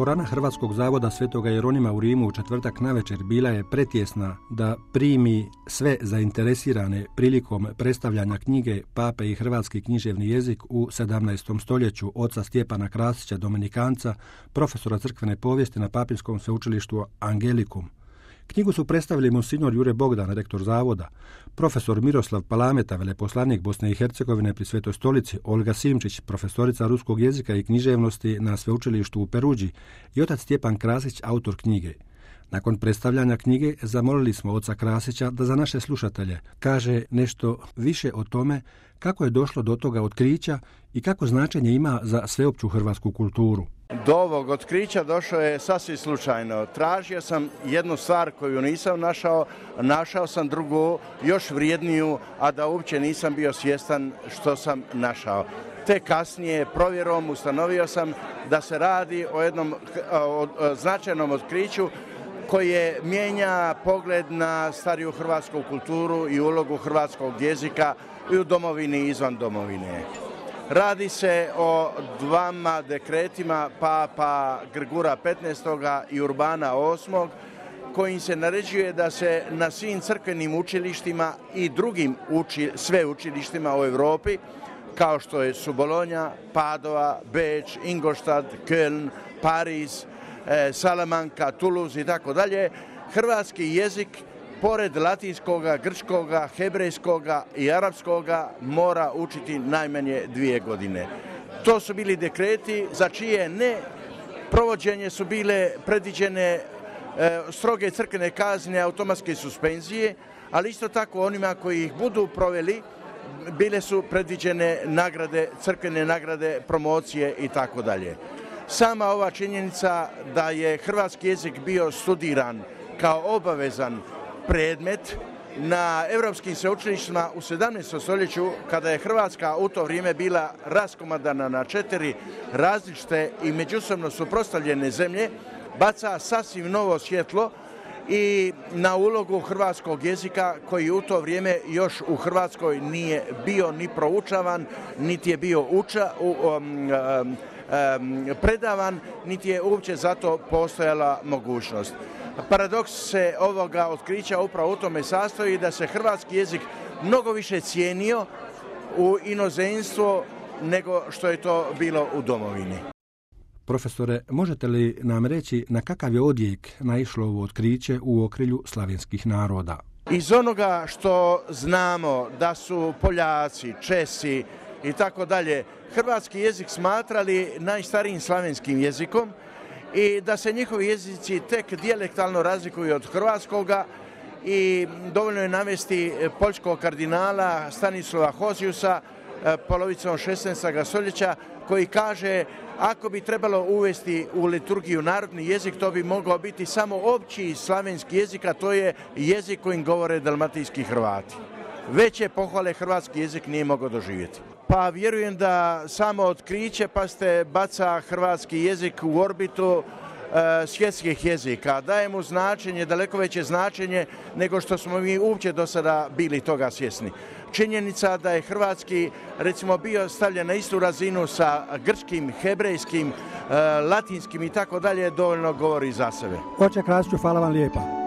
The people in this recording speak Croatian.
Dvorana Hrvatskog zavoda Svetoga Jeronima u Rimu u četvrtak navečer bila je pretjesna da primi sve zainteresirane prilikom predstavljanja knjige Pape i hrvatski književni jezik u 17. stoljeću oca Stjepana Krasića, dominikanca, profesora crkvene povijesti na Papinskom sveučilištu Angelikum. Knjigu su predstavili monsignor Jure Bogdan, rektor zavoda, profesor Miroslav Palameta, veleposlanik Bosne i Hercegovine pri Svetoj stolici, Olga Simčić, profesorica ruskog jezika i književnosti na sveučilištu u Peruđi i otac Stjepan Krasić, autor knjige. Nakon predstavljanja knjige zamolili smo oca Krasića da za naše slušatelje kaže nešto više o tome kako je došlo do toga otkrića i kako značenje ima za sveopću hrvatsku kulturu. Do ovog otkrića došao je sasvim slučajno. Tražio sam jednu stvar koju nisam našao sam drugu, još vrijedniju, a da uopće nisam bio svjestan što sam našao. Te kasnije provjerom ustanovio sam da se radi o jednom značajnom otkriću koje mijenja pogled na stariju hrvatsku kulturu i ulogu hrvatskog jezika i u domovini i izvan domovine. Radi se o dvama dekretima Papa Grgura XV. I Urbana VIII. Kojim se naređuje da se na svim crkvenim učilištima i drugim sveučilištima u Europi, kao što su Bolonja, Padova, Beč, Ingolstadt, Köln, Pariz, Salamanka, Toulouse i tako dalje, hrvatski jezik pored latinskoga, grčkoga, hebrejskoga i arapskoga mora učiti najmanje 2 godine. To su bili dekreti za čije ne provođenje su bile predviđene stroge crkvene kazne, automatske suspenzije, ali isto tako onima koji ih budu proveli bile su predviđene nagrade, crkvene nagrade, promocije i tako dalje. Sama ova činjenica da je hrvatski jezik bio studiran kao obavezan predmet na europskim sveučilištima u 17. stoljeću, kada je Hrvatska u to vrijeme bila raskomadana na 4 različite i međusobno suprotstavljene zemlje, baca sasvim novo svjetlo i na ulogu hrvatskog jezika koji u to vrijeme još u Hrvatskoj nije bio ni proučavan, niti je bio predavan, niti je uopće zato postojala mogućnost. Paradoks se ovoga otkrića upravo u tome sastoji da se hrvatski jezik mnogo više cijenio u inozemstvu nego što je to bilo u domovini. Profesore, možete li nam reći na kakav je odjek naišlo ovo otkriće u okrilju slavenskih naroda? Iz onoga što znamo da su Poljaci, Česi i tako dalje hrvatski jezik smatrali najstarijim slavenskim jezikom i da se njihovi jezici tek dijalektalno razlikuju od hrvatskoga i dovoljno je navesti poljskog kardinala Stanislava Hoziusa polovicom 16. stoljeća koji kaže ako bi trebalo uvesti u liturgiju narodni jezik, to bi mogao biti samo opći slavenski jezik, a to je jezik kojim govore dalmatinski Hrvati. Veće pohvale hrvatski jezik nije mogao doživjeti. Pa vjerujem da samo otkriće baca hrvatski jezik u orbitu svjetskih jezika. Daje mu značenje, daleko veće značenje nego što smo mi uopće do sada bili toga svjesni. Činjenica da je hrvatski recimo bio stavljen na istu razinu sa grčkim, hebrejskim, latinskim i tako dalje dovoljno govori za sebe. Oče Krasiću, hvala vam lijepa.